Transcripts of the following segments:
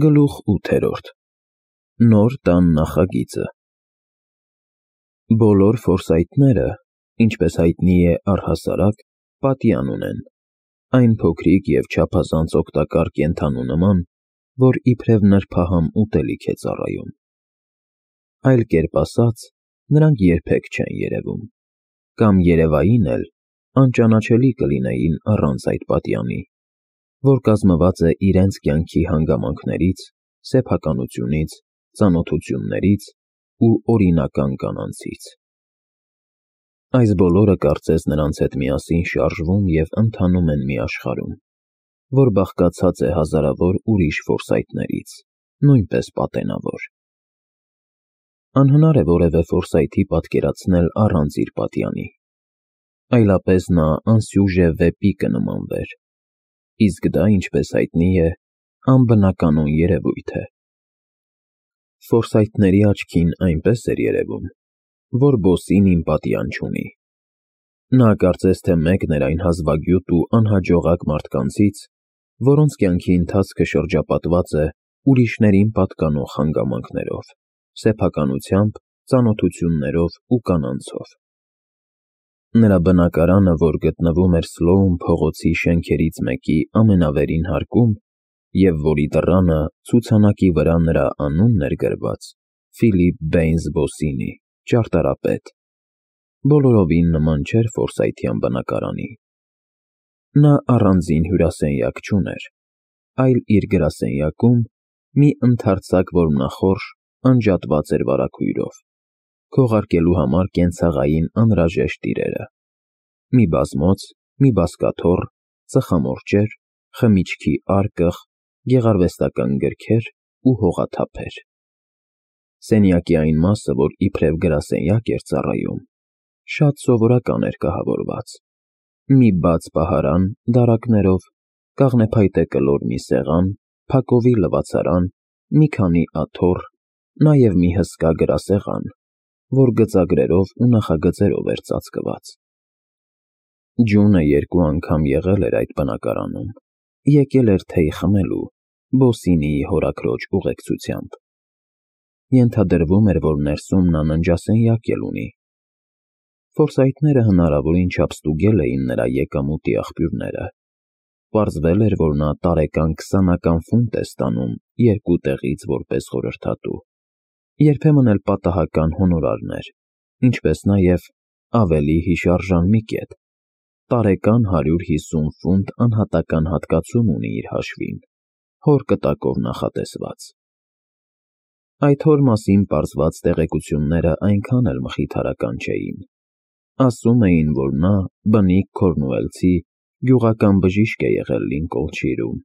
Գլուխ 8 Նոր տան նախագիծը Բոլոր ֆորսայթները, ինչպես հայտնի է առհասարակ, պատյան ունեն, այն փոքրիկ և չափազանց օգտակար կենդանու նման, որ իբրև նրբահամ ուտելիք է ծառայում։ Այլ կերպ ասած, նրանք երբեք չեն երևում, կամ երևային էլ անճանաչելի կլինեին առանց այդ պատյանի, որ կազմված է իրենց կյանքի հանգամանքներից, սեփականությունից, ծանոթություններից ու օրինական կանանցից։ Այս բոլորը կարծես նրանց հետ միասին շարժվում և ընթանում են մի աշխարհում, որ բաղկացած է հազարավոր ուրիշ ֆորսայթներից, նույնպես պատենավոր։ Անհնար է որևէ ֆորսայթի պատկերացնել առանց իր պատյանի, այլապես նա անսյուժե վեպի կնմանվեր, իսկ դա, ինչպես հայտնի է, անբնականon երևույթ է։ Ֆորսայթների աչքին այնպես էր երևում, որ բոսինին պատյան չունի։ Նա կարծես թե մեկն էր այն հազվագյուտ ու անհաջողակ մարդկանցից, որոնց կյանքի ընթացքը շրջապատված է ուրիշներին պատկանող հանգամանքներով, սեփականությամբ, ծանոթություններով ու կանանցով։ Նրա բնակարանը, որ գտնվում էր Սլոուն փողոցի շենքերից մեկի ամենավերին հարկում, և որի դռանը ցուցանակի վրա նրա անունն էր գրված՝ Ֆիլիպ Բեյնս Բոսինի, ճարտարապետ, բոլորովին նման չէր ֆորսայթյան բնակարանի։ Նա առանձին հյուրասենյակ չուներ, այլ իր գրասենյակում մի ընդարձակ որմնախորշ անջատված էր վարագույրով, քողարկելու համար կենցաղային անհրաժեշտ իրերը՝ մի բազմոց, մի բազկաթոռ, ծխամորճեր, խմիչքի արկղ, գեղարվեստական գրքեր ու հողաթափեր։ Սենյակի այն մասը, որ իբրև գրասենյակ էր ծառայում, շատ սովորական էր կահավորված. մի բաց պահարան դարակներով, կաղնեփայտե կլոր մի սեղան, փակովի լվացարան, մի քանի աթոռ, նաև մի հսկա գրասեղան, որ գծագրերով ու նախագծերով էր ծածկված։ Ջունը երկու անգամ եղել էր այդ բնակարանում, եկել էր թեյ խմելու Բոսինիի հորաքրոջ ուղեկցությամբ։ Ենթադրվում էր, որ ներսում նա ննջասենյակ էլ ունի։ Ֆորսայթները հնարավորին չափ ստուգել էին նրա եկամուտի աղբյուրները։ Պարզվել էր, որ նա տարեկան 20-ական ֆունտ է ստանում երկու տեղից որպես խորհրդատու, երբեմն էլ պատահական հոնորարներ, ինչպես նաև ավելի հիշարժան մի կետ՝ տարեկան 150 ֆունտ անհատական հատկացում ունի իր հաշվին, հոր կտակով նախատեսված։ Այդ հոր մասին պարզված տեղեկությունները այնքան էլ մխիթարական չէին։ Ասում էին, որ նա բնիկ քորնուելցի գյուղական բժիշկ է եղել Լինկոլնշիրում,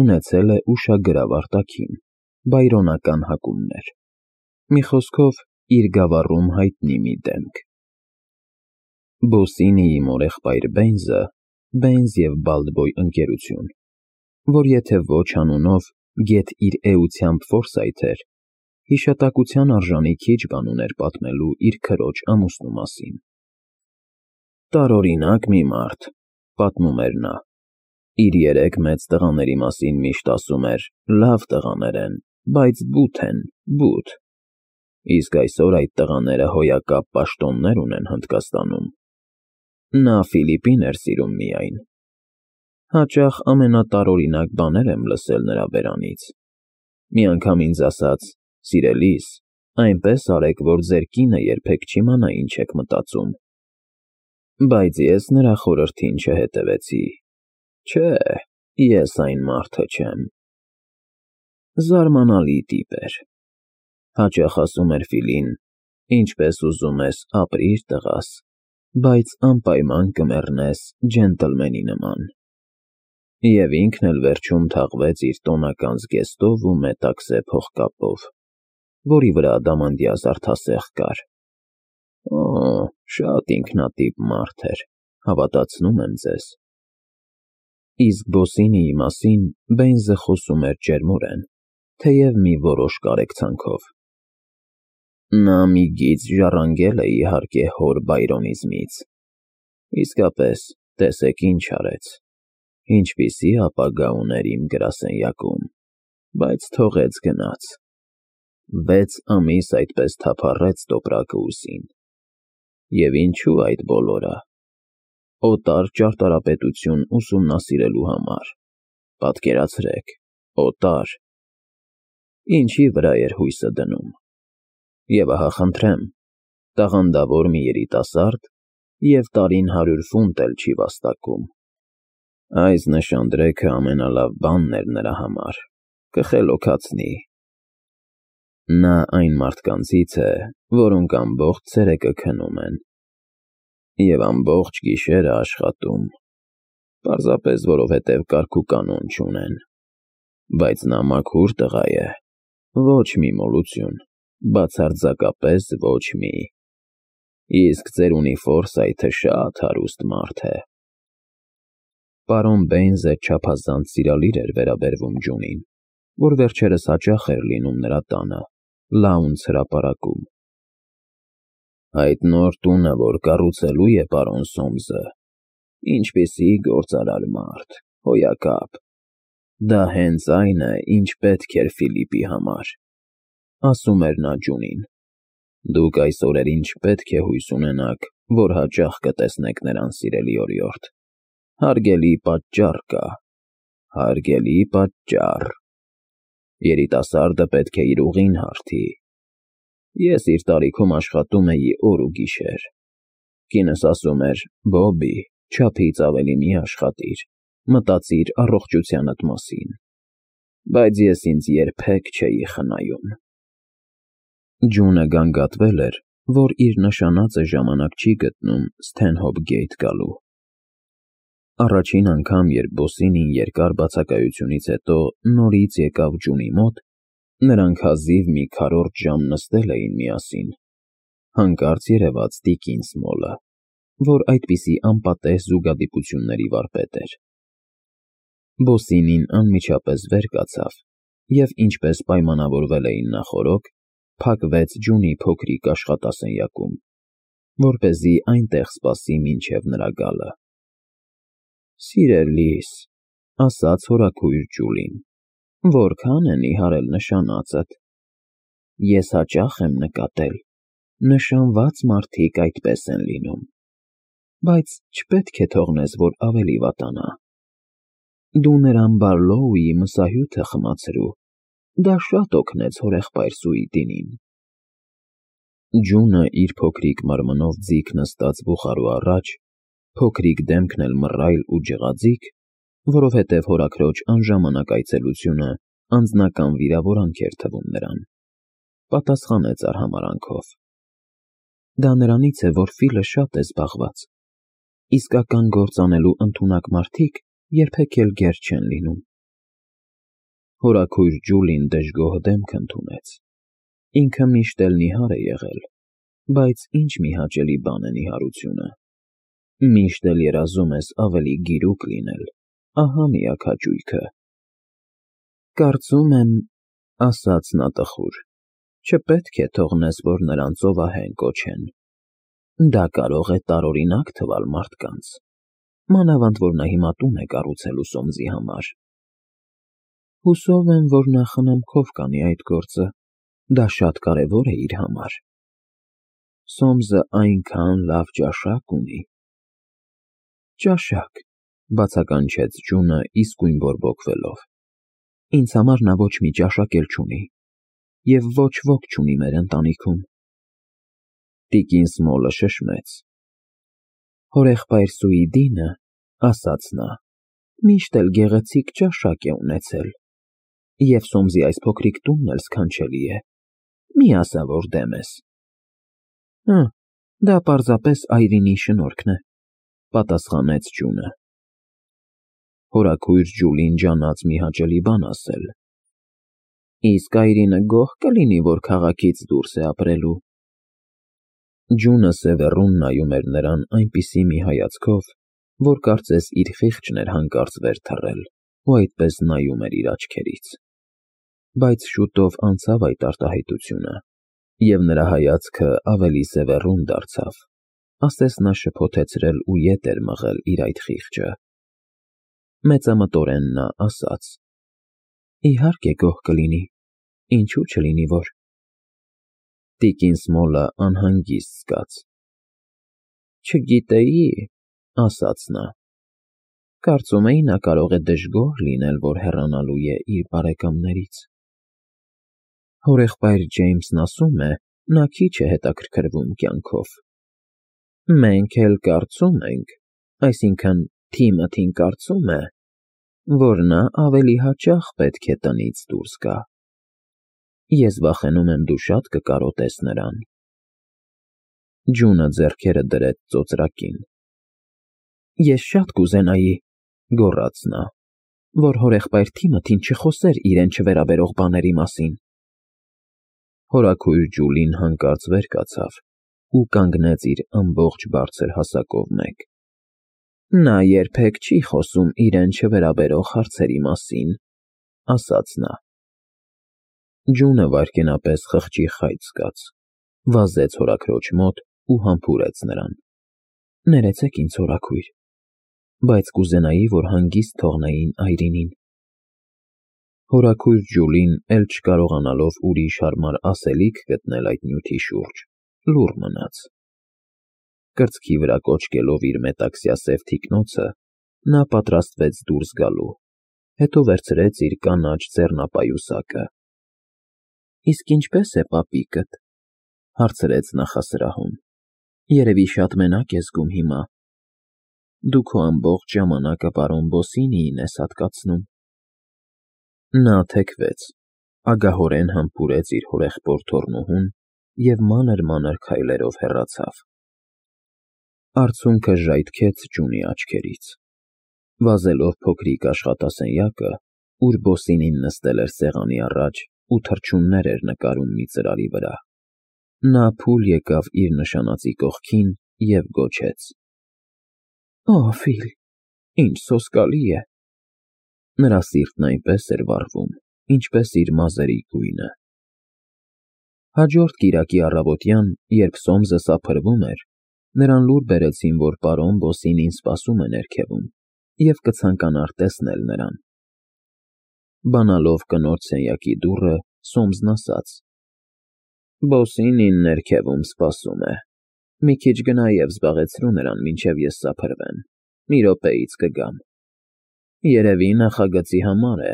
ունեցել է ուշագրավ արտաքին, բայրոնական հակումներ։ Մի խոսքով, իր գավառում հայտնի մի դեմք։ Բոսինիի մորեղբայր Բեյնսը Բեյնս և Բալդբոյ ընկերություն, որ եթե ոչ անունով, գեթ իր էությամբ ֆորսայթ էր, հիշատակության արժանի քիչ բան ուներ պատմելու իր քրոջ ամուսնու մասին։ Տարօրինակ մի մարդ, պատմում էր նա, իր 3 մեծ տղաների մասին միշտ ասում էր. լավ տղաներ են, բայց բութ են, բութ։ Իսկ այսօր այդ տղաները հոյակապ պաշտոններ ունեն Հնդկաստանում։ Նա Ֆիլիպին էր սիրում միայն։ Հաճախ ամենատարօրինակ բաներ եմ լսել նրա բերանից։ Մի անգամ ինձ ասաց. «Սիրելիս, այնպես արեք, որ ձեր կինը երբեք չիմանա ինչ եք մտածում»։ Բայց ես նրա խորհրդին չհետևեցի։ Չէ, ես այն մարդը չեմ։ Զարմանալի տիպ էր։ Հաճախ ասում էր Ֆիլին. «Ինչպես ուզում ես, ապրիր տղաս, բայց անպայման կմեռնես ջենտլմենի նման»։ Եվ ինքն էլ վերջում թաղվեց իր տոնական զգեստով ու մետաքսե փողկապով, որի վրաադամանդյա զարդասեղ կար։ Օ, շատ ինքնատիպ մարդ էր, հավատացնում եմ ձեզ։ Իսկ Բոսինիի մասին Բեյնսը խոսում էր ջերմորեն, թեև մի որոշ կարեկցանքով։ Նա մի գիծ ժառանգել է, իհարկե, հոր բայրոնիզմից։ Իսկապես, տեսեք ինչ արեց, ինչպիսի ապագա ուներ իմ գրասենյակում։ բայց թողեց գնաց։ 6 ամիս այդպես թափառեց տոպրակը ուսին։ Եվ ինչու այդ բոլորը։ Օտար ճարտարապետություն ուսումնասիրելու համար։ Պատկերացրեք, օտար։ Ինչի վրա էր հույսը դնում։ Եվ ահա խնդրեմ, տաղանդավոր մի երիտասարդ և տարին 100 ֆունտ էլ չի վաստակում։ Այս նշանդրեքը ամենալավ բանն էր նրա համար, կխելոքացնի։ Նա այն մարդկանցից է, որոնք ամբողջ ցերեկը քնում են և ամբողջ գիշերը աշխատում, պարզապես որովհետև կարգ ու կանոն չունեն, բայց նա մաքուր տղա է, ոչ մի մոլություն, բացարձակապես ոչ մի, իսկ ծերունի Ֆորսայթը շատ հարուստ մարդ է։ Պարոն Բեյնզը չափազանց սիրալիր էր վերաբերվում Ջունին, որ վերջերս հաճախ էր լինում նրա տանը, Լաունց հրապարակում։ Այդ նոր տունը, որ կառուցելու է պարոն Սոմսը, ինչպիսի գործարար մարդ, հոյակապ։ Դա հենց այն է, ինչ պետք էր Ֆիլիպի համար, ասում էր նա Ջունին։ Դուք այս օրերին չպետք է հույս ունենաք, որ հաճախ կտեսնեք նրան, սիրելի օրիորդ։ Հարգելի պատճառ կա, հարգելի պատճառ։ Երիտասարդը պետք է իր ուղին հարթի։ Ես իր տարիքում աշխատում էի օր ու գիշեր։ Կինս ասում էր. «Բոբի, չափից ավելի մի աշխատիր, մտածիր առողջությանդ մասին»։ Բայց ես ինձ երբեք չէի խնայում։ Ջունը գանգատվել էր, որ իր նշանածը ժամանակ չի գտնում Սթենհոփ Գեյթ գալու։ Առաջին անգամ, երբ Բոսինին երկար բացակայությունից հետո նորից եկավ Ջունի մոտ, նրանք հազիվ մի քառորդ ժամ նստել էին միասին, հանկարծ երևաց տիկին Սմոլը, որ այդպիսի անպատեհ զուգադիպությունների վարպետ էր։ Բոսինին անմիջապես վեր կացավ և, ինչպես պայմանավորվել էին նախօրոք, փակվեց Ջունի փոքրիկ աշխատասենյակում, որպեսզի այնտեղ սպասի մինչև նրա գալը։ Սիրելիս, ասաց հորաքույր Ջուլին, որքան են իհարել նշանածդ։ Ես հաճախ եմ նկատել, նշանված մարդիկ այդպես են լինում, բայց չպետք է թողնես, որ ավելի վատանա։ Դու նրան Բարլոուի մսահյութը խմացրու, դա շատ օգնեց հորեղբայր Սուիդինին։ Ջունը իր փոքրիկ մարմնով ձիգ նստած բուխարու առաջ, փոքրիկ դեմքն էլ մռայլ ու ջղաձիգ, որովհետև հորաքրոջ անժամանակ այցելությունը անձնական վիրավորանք էր թվում նրան, պատասխանեց արհամարհանքով. Դա նրանից է, որ Ֆիլը շատ է զբաղված։ Իսկական գործ անելու ընդունակ մարդիկ երբեք էլ գեր չեն լինում։ Հորաքույր Ջուլին դժգոհ դեմք ընդունեց։ Ինքը միշտ էլ նիհար է եղել, բայց ինչ մի հաճելի բան է նիհարությունը։ Միշտ էլ երազում ես ավելի գիրուկ լինել, ահա միակ հաճույքը։ Կարծում եմ, ասաց նա տխուր, չպետք է թողնես, որ նրան ծովահեն կոչեն։ Դա կարող է տարօրինակ թվալ մարդկանց, մանավանդ որ նա հիմա տուն է կառուցելու Սոմսի համար։ Հուսով եմ, որ նա խնամքով կանի այդ գործը, դա շատ կարևոր է իր համար։ Սոմսը այնքան լավ ճաշակ ունի։ Ճաշակ, բացականչեց Ջունը իսկույն բորբոքվելով։ Ինձ համար նա ոչ մի ճաշակ էլ չունի, և ոչ ոք չունի մեր ընտանիքում։ Տիկին Սմոլը շշմեց։ Հորեղբայր Սուիդինը, ասաց նա, միշտ էլ գեղեցիկ ճաշակ է ունեցել, և Սոմսի այս փոքրիկ տունն էլ սքանչելի է, մի ասա, որ դեմ ես։ Դա պարզապես այրինի շնորհքն է, պատասխանեց Ջունը։ Հորաքույր Ջուլին ջանաց մի հաճելի բան ասել։ Իսկ այրինը գոհ կլինի, որ քաղաքից դուրս է ապրելու։ Ջունը սևեռուն նայում էր նրան այնպիսի մի հայացքով, որ կարծես իր խիղճն էր հանկարծ վեր թռել ու այդպես նայում էր իր աչքերից։ Բայց շուտով անցավ այդ արտահայտությունը, և նրա հայացքը ավելի սևեռուն դարձավ, ասես նա շփոթեցրել ու ետ էր մղել իր այդ խիղճը։ Մեծամտորեն նա ասաց. Իհարկե գոհ կլինի, ինչու չլինի որ։ Տիկին Սմոլը անհանգիստ զգաց։ Չգիտեի, ասաց նա։ Կարծում էի նա կարող է դժգոհ լինել, որ հեռանալու է իր բարեկամներից։ Հորեղբայր Ջեյմսն ասում է, նա քիչ է հետաքրքրվում կյանքով։ Մենք էլ կարծում ենք, այսինքն Թիմոթին կարծում է, որ նա ավելի հաճախ պետք է տնից դուրս գա։ Ես վախենում եմ դու շատ կկարոտես նրան։ Ջունը ձեռքերը դրեց ծոծրակին։ Ես շատ կուզենայի, գոռաց նա, որ հորեղբայր Թիմոթին չխոսեր իրեն չվերաբերող բաների մասին։ Հորաքույր Ջուլին հանկարծ վեր կացավ ու կանգնեց իր ամբողջ բարձր հասակով մեկ։ Նա երբեք չի խոսում իրեն չվերաբերող հարցերի մասին, ասաց նա։ Ջունը վայրկենապես խղճի խայծ զգաց, վազեց հորաքրոջ մոտ ու համբուրեց նրան։ Ներեցեք ինձ, հորաքույր, բայց կուզենայի, որ հանգիստ թողնեին այրինին։ Հորաքույր Ջուլին, էլ չկարողանալով ուրիշ հարմար ասելիք գտնել այդ նյութի շուրջ, լուռ մնաց։ Կրծքի վրա կոչկելով իր մետաքսյա սև թիկնոցը, նա պատրաստվեց դուրս գալու, հետո վերցրեց իր կանաչ ձեռնապայուսակը։ Իսկ ինչպե՞ս է պապիկդ, հարցրեց նախասրահում։ Երևի շատ մենակ ես զգում հիմա։ Դու քո ամբողջ ժամանակը պարոն Բոսինիին ես հատկացնում։ Նա թեքվեց, ագահորեն համբուրեց իր հորեղբոր թոռնուհուն և մանր-մանր քայլերով հեռացավ։ Արցունքը ժայթքեց Ջունի աչքերից։ Վազելով փոքրիկ աշխատասենյակը, ուր Բոսինին նստել էր սեղանի առաջ ու թռչուններ էր նկարում մի ծրարի վրա, նա փուլ եկավ իր նշանածի կողքին և գոչեց. Օ, Ֆիլ, ինչ սոսկալի է։ Նրա սիրտն այնպես էր վառվում, ինչպես իր մազերի գույնը։ Հաջորդ կիրակի առավոտյան, երբ Սոմսը սափրվում էր, նրան լուր բերեցին, որ պարոն Բոսինին սպասում է ներքևում և կցանկանար տեսնել նրան։ Բանալով կնոջ սենյակի դուռը, Սոմսն ասաց. Բոսինին ներքևում սպասում է։ Մի քիչ գնա և զբաղեցրու նրան, մինչև ես սափրվեմ, մի րոպեից կգամ։ Երևի նախագծի համար է։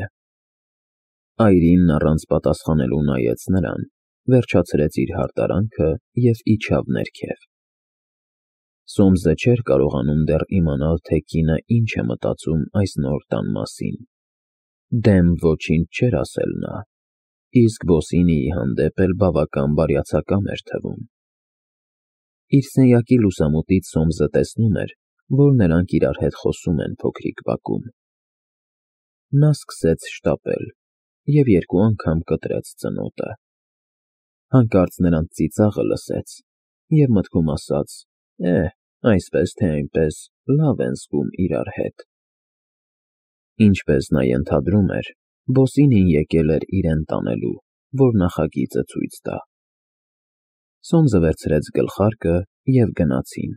Այրինն առանց պատասխանելու նայեց նրան, վերջացրեց իր հարդարանքը և իջավ ներքև։ Սոմսը չէր կարողանում դեռ իմանալ, թե կինը ինչ է մտածում այս նոր տան մասին։ Դեմ ոչինչ չէր ասել նա, իսկ Բոսինիի հանդեպ էլ բավական բարյացակամ էր թվում։ Իր սենյակի լուսամուտից Սոմսը տեսնում էր, որ նրանք իրար հետ խոսում են փոքրիկ բակում։ Նա սկսեց շտապել և երկու անգամ կտրեց ծնոտը։ Հանկարծ նրանց ծիծաղը լսեց և մտքում ասաց. այսպես թե այնպես լավ են զգում իրար հետ։ Ինչպես նա ենթադրում էր, Բոսինին եկել էր իրեն տանելու, որ նախագիծը ցույց տա։ Սոմսը վերցրեց գլխարկը և գնացին։